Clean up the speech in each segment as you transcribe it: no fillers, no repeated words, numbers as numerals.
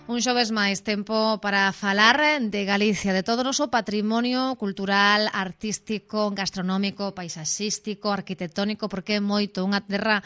Un xoves máis, tempo para falar de Galicia, de todo o noso patrimonio cultural, artístico, gastronómico, paisaxístico, arquitectónico, porque é moito, unha terra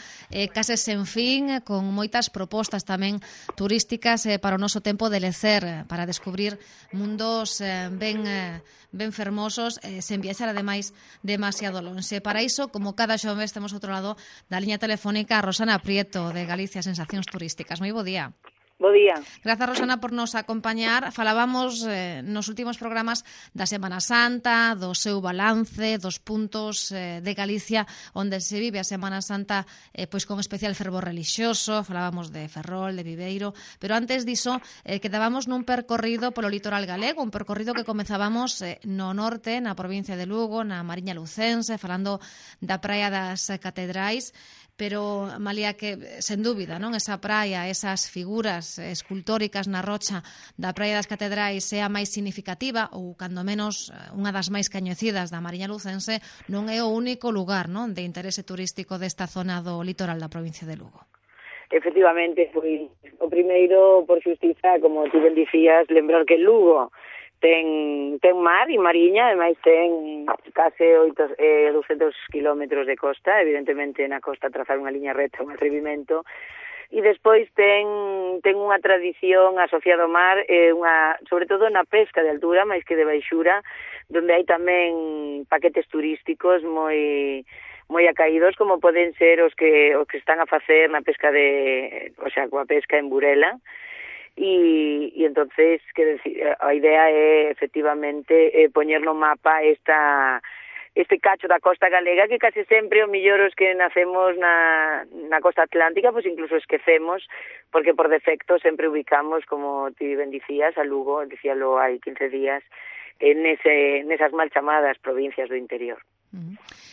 case sen fin, con moitas propostas tamén turísticas para o noso tempo de lecer, para descubrir mundos ben fermosos, sen viaxar ademais demasiado lonxe. Para iso, como cada xoves, temos outro lado da liña telefónica a Rosana Prieto, de Galicia Sensacións Turísticas. Moi bo día. Bo día. Grazas, Rosana, por nos acompañar. Falábamos nos últimos programas da Semana Santa, do seu balance, dos puntos de Galicia onde se vive a Semana Santa pois con especial fervor relixioso. Falábamos de Ferrol, de Viveiro, pero antes diso quedábamos nun percorrido polo litoral galego, un percorrido que comezábamos no norte, na provincia de Lugo, na Mariña Lucense, falando da Praia das Catedrais, pero, Malia, que, sen dúbida, non, esa praia, esas figuras escultóricas na rocha da Praia das Catedrais é a máis significativa, ou, cando menos, unha das máis coñecidas da Mariña Lucense, non é o único lugar, non, de interese turístico desta zona do litoral da provincia de Lugo. Efectivamente, foi o primeiro, por xustiza, como ti ben dicías, lembrar que Lugo ten mar e mariña, ademais ten case 200 kilómetros de costa, evidentemente na costa trazar unha liña recta, un atrevimento, e despois ten unha tradición asociada ao mar, sobre todo na pesca de altura, máis que de baixura, donde hai tamén paquetes turísticos moi acaídos, como poden ser os que están a facer na pesca coa pesca en Burela. E entonces, que decir, a idea é efectivamente poñer no mapa este cacho da costa galega que case sempre o millor os que nacemos na costa atlántica, pois incluso esquecemos, porque por defecto sempre ubicamos, como ti ben dicías, a Lugo, dicíalo hai 15 días, nesas mal chamadas provincias do interior.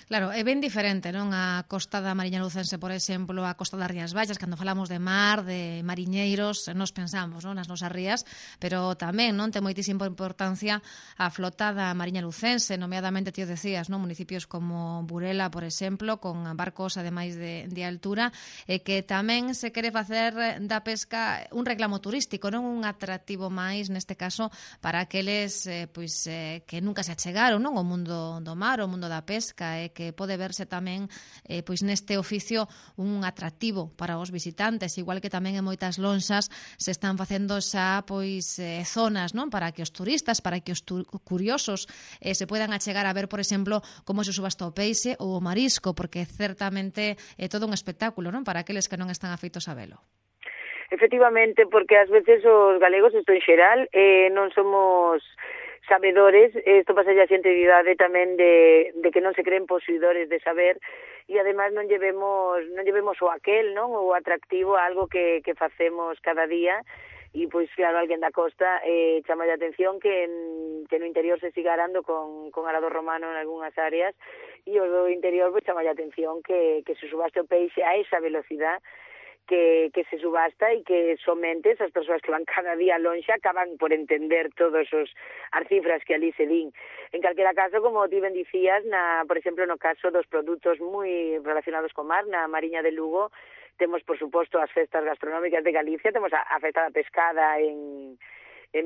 Claro, é ben diferente, non, a costa da Mariña Lucense, por exemplo, a costa das Rías Baixas. Cando falamos de mar, de mariñeiros, nos pensamos, non, nas nosas rías, pero tamén, non, ten moitísima importancia a flota da Mariña Lucense, nomeadamente, ti o decías, non, municipios como Burela, por exemplo, con barcos ademais de altura, e que tamén se quere facer da pesca un reclamo turístico, non, un atractivo máis, neste caso, para aqueles que nunca se achegaron, non, ao mundo do mar, ao mundo da pesca, que pode verse tamén pois neste oficio un atractivo para os visitantes, igual que tamén en moitas lonxas se están facendo xa pois zonas, non, para que os turistas, para que os curiosos se poidan achegar a ver, por exemplo, como se subasta o peixe ou o marisco, porque certamente é todo un espectáculo, non, para aqueles que non están afeitos a velo. Efectivamente, porque ás veces os galegos, isto en xeral, non somos sabedores, isto pasa a xente de idade tamén de que non se creen posuidores de saber, e ademais non llevemos o aquel, non, o atractivo a algo que facemos cada día, e pois claro, alguén da costa chama a atención que no interior se siga arando con arado romano en algunhas áreas, e o do interior pois chama a atención que se subaste o peixe a esa velocidade que se subasta e que somente esas persoas que van cada día lonxe acaban por entender todas as cifras que ali se din. En calquera caso, como ti ben dicías, por exemplo, no caso dos produtos moi relacionados co mar, na Mariña de Lugo, temos, por suposto, as festas gastronómicas de Galicia, temos a festa da pescada en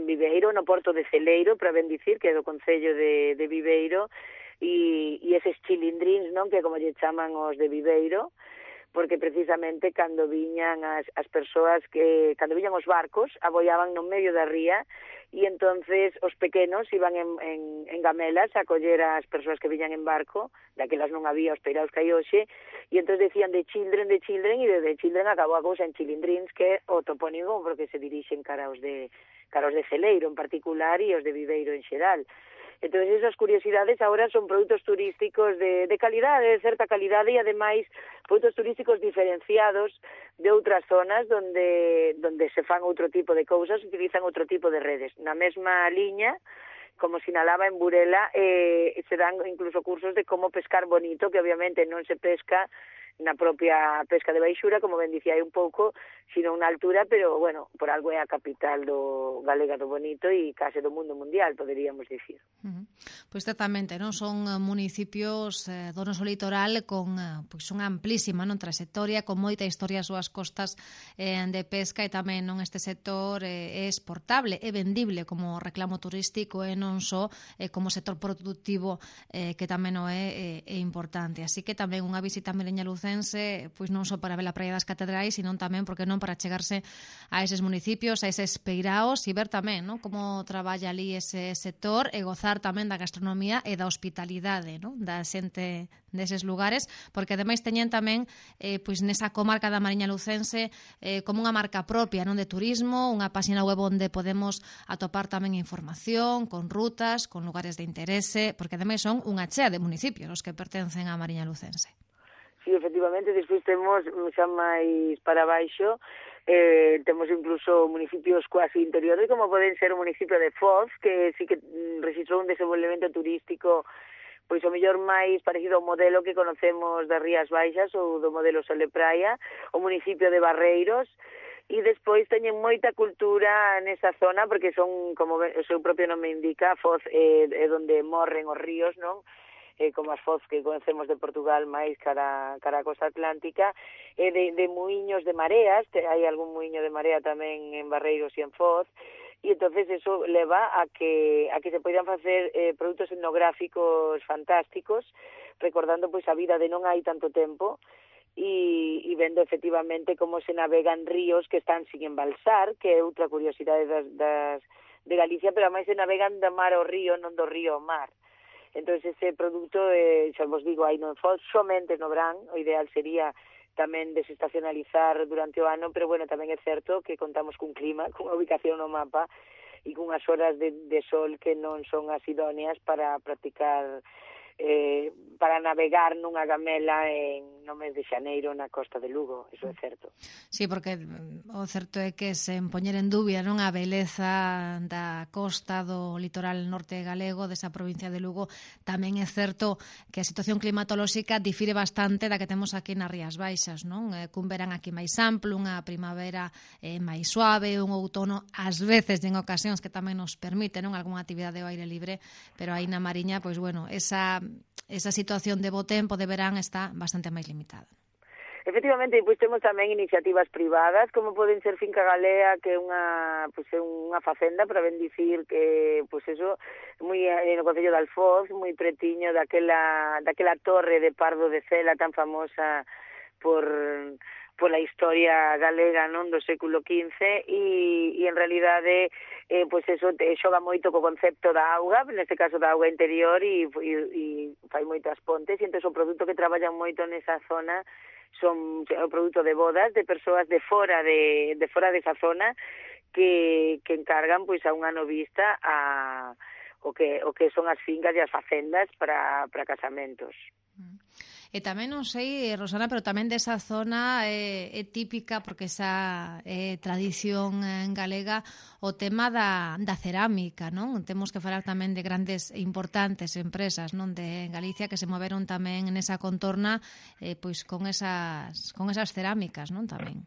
Viveiro, no porto de Celeiro, para ben dicir, que é do concello de Viveiro, e eses chilindrins, non, que como lle chaman os de Viveiro, porque precisamente cando viñan as persoas cando viñan os barcos, aboiaban no medio da ría, e entonces os pequenos iban en gamelas a coller as persoas que viñan en barco, daquelas non había os peiraos que hai hoxe, e entonces decían de children, e de children acabou a cousa en chilindrins, que é o topónimo porque se dirixen cara aos de Celeiro en particular e os de Viveiro en xeral. Entón, esas curiosidades agora son produtos turísticos de calidade, de certa calidade, e ademais produtos turísticos diferenciados de outras zonas donde se fan outro tipo de cousas, utilizan outro tipo de redes. Na mesma liña, como sinalaba en Burela, se dan incluso cursos de como pescar bonito, que obviamente non se pesca na propia pesca de baixura, como ben dicía hai un pouco, sino na altura, pero, bueno, por algo é a capital galega do bonito e case do mundo mundial, poderíamos dicir. Pois exactamente, non son municipios do noso litoral con pois unha amplísima trayectoria, con moita historia ás súas costas de pesca, e tamén este sector é exportable, é vendible como reclamo turístico e non só como sector productivo que tamén o é importante. Así que tamén unha visita a Mariñalucense, pois non só para ver a Praia das Catedrais, sino tamén, porque non, para chegarse a eses municipios, a eses peiraos, e ver tamén como traballa ali ese sector, e gozar tamén da gastronomía e da hospitalidade da xente deses lugares, porque ademais teñen tamén pois nesa comarca da Mariñalucense como unha marca propia de turismo, unha páxina web onde podemos atopar tamén información, con rutas, con lugares de interese, porque ademais son unha chea de municipios os que pertencen á Mariñalucense. Sí, efectivamente, despois temos xa máis para baixo, temos incluso municipios quasi interiores, como poden ser o municipio de Foz, que sí que registrou un desenvolvemento turístico pois o mellor máis parecido ao modelo que conocemos das Rías Baixas ou do modelo Sole Praia, o municipio de Barreiros, e despois teñen moita cultura nesa zona, porque son, como o seu propio nome indica, Foz é onde morren os ríos, non? Como as Foz que conocemos de Portugal máis cara a costa atlántica, de muiños de mareas, hai algún muiño de marea tamén en Barreiros e en Foz, e entonces eso leva a que se poidan facer produtos etnográficos fantásticos, recordando pois a vida de non hai tanto tempo, e vendo efectivamente como se navegan ríos que están sin embalsar, que é outra curiosidade de Galicia, pero ademais se navegan do mar ao río, non do río ao mar. Entón, ese produto, xa vos digo, hai non Foz, somente no verán, o ideal sería tamén desestacionalizar durante o ano, pero, bueno, tamén é certo que contamos cun clima, cunha ubicación no mapa e cunhas horas de sol que non son as idóneas para practicar, para navegar nunha gamela no mes de xaneiro na costa de Lugo, iso é certo. Sí, porque o certo é que sen poñer en dúbida a beleza da costa do litoral norte galego, desa provincia de Lugo, tamén é certo que a situación climatolóxica difire bastante da que temos aquí nas Rías Baixas, non? Cun verán aquí máis amplo, unha primavera máis suave, un outono ás veces en ocasións que tamén nos permite algunha actividade ao aire libre, pero aí na Mariña, pois bueno, esa situación de bo tempo de verán está bastante máis limitada. Efectivamente, pois temos tamén iniciativas privadas, como poden ser Finca Galea, que é unha facenda, para ben dicir que, pois eso, moi no concello de Alfoz, moi pretiño daquela torre de Pardo de Cela tan famosa pola historia galega do século XV, e en realidade pois eso xoga moito co concepto da auga, neste caso da auga interior, e fai moitas pontes, e entón o produto que traballan moito nesa zona son o produto de bodas de persoas de fora desa zona que encargan pois a unha novista o que son as fincas e as facendas para casamentos. E tamén non sei, Rosana, pero tamén desa zona é típica, porque esa tradición galega, o tema da cerámica, non? Temos que falar tamén de grandes e importantes empresas, non, de Galicia que se moveron tamén nesa contorna pois con esas cerámicas, non, tamén.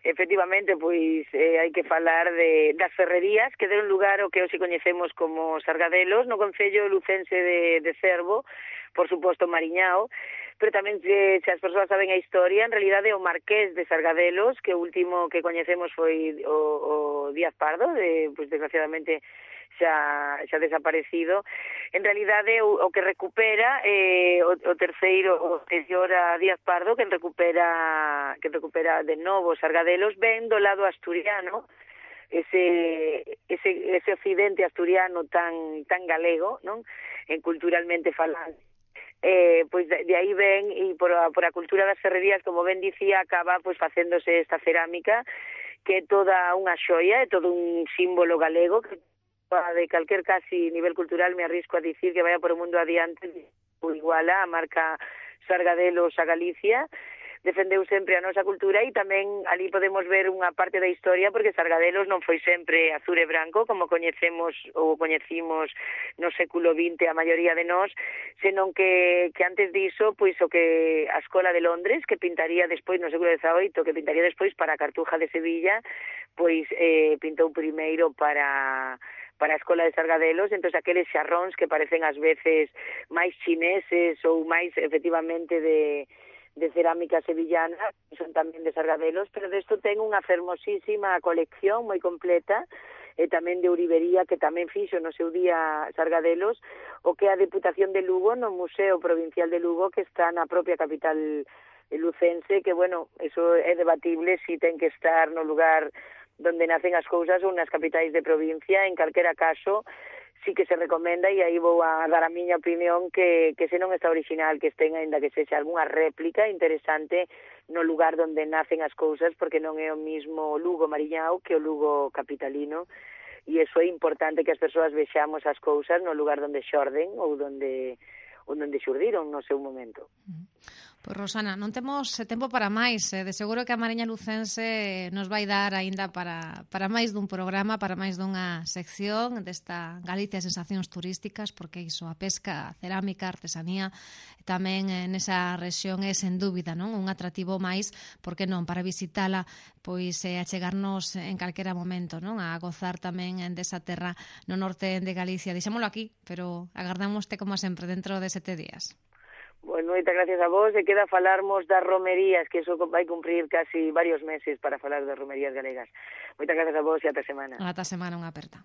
Efectivamente, pois hai que falar das ferrerías que deron lugar ao que hoxe coñecemos como Sargadelos, no concello lucense de Cervo, por suposto Mariñao, pero tamén se as persoas saben a historia, en realidade o Marqués de Sargadelos, que o último que coñecemos foi o Díaz Pardo, pois desgraciadamente xa desaparecido. En realidade o que recupera o terceiro, o anterior a Díaz Pardo, que recupera de novo Sargadelos, ven do lado asturiano, ese occidente asturiano tan galego, non? Culturalmente falando. Pois de aí ven, e por a cultura das ferrerías, como ben dicía, acaba pois facéndose esta cerámica, que é toda unha xoia, é todo un símbolo galego, que de calquer casi nivel cultural me arrisco a dicir que vaya por o mundo adiante, iguala a marca Sargadelos a Galicia, defendeu sempre a nosa cultura e tamén ali podemos ver unha parte da historia porque Sargadelos non foi sempre azul e branco como coñecemos ou coñecimos no século XX a maioría de nós, senón que antes diso, pois o que a Escola de Londres, que pintaría despois no século XVIII, que pintaría despois para a Cartuja de Sevilla, pois pintou primeiro para a Escola de Sargadelos, entón aqueles xarróns que parecen ás veces máis chineses ou máis efectivamente de cerámica sevillana, son tamén de Sargadelos, pero desto ten unha fermosísima colección moi completa, e tamén de Ourivería, que tamén fixo no seu día Sargadelos, o que é a Deputación de Lugo no Museo Provincial de Lugo, que está na propia capital lucense, que, bueno, eso é debatible si ten que estar no lugar donde nacen as cousas ou nas capitais de provincia. En calquera caso, sí que se recomenda, e aí vou a dar a miña opinión, que se non está original, que estén, ainda que sexa algunha réplica interesante no lugar donde nacen as cousas, porque non é o mismo Lugo Mariñao que o Lugo capitalino, e iso é importante que as persoas vexamos as cousas no lugar donde xorden ou donde xurdiron no seu momento. Pois, Rosana, non temos tempo para máis. De seguro que a Mariña Lucense nos vai dar aínda para máis dun programa, para máis dunha sección desta Galicia Sensacións Turísticas, porque iso, a pesca, a cerámica, a artesanía, tamén nesa rexión é, sen dúbida, non, un atractivo máis, porque non, para visitala, pois a chegarnos en calquera momento, non, a gozar tamén desa terra no norte de Galicia. Deixámoslo aquí, pero agardámoste como sempre dentro de 7 días. Bueno, moitas gracias a vos, e queda falarmos das romerías, que iso vai cumprir casi varios meses para falar das romerías galegas. Moitas gracias a vos e ata semana. Ata semana, unha aperta.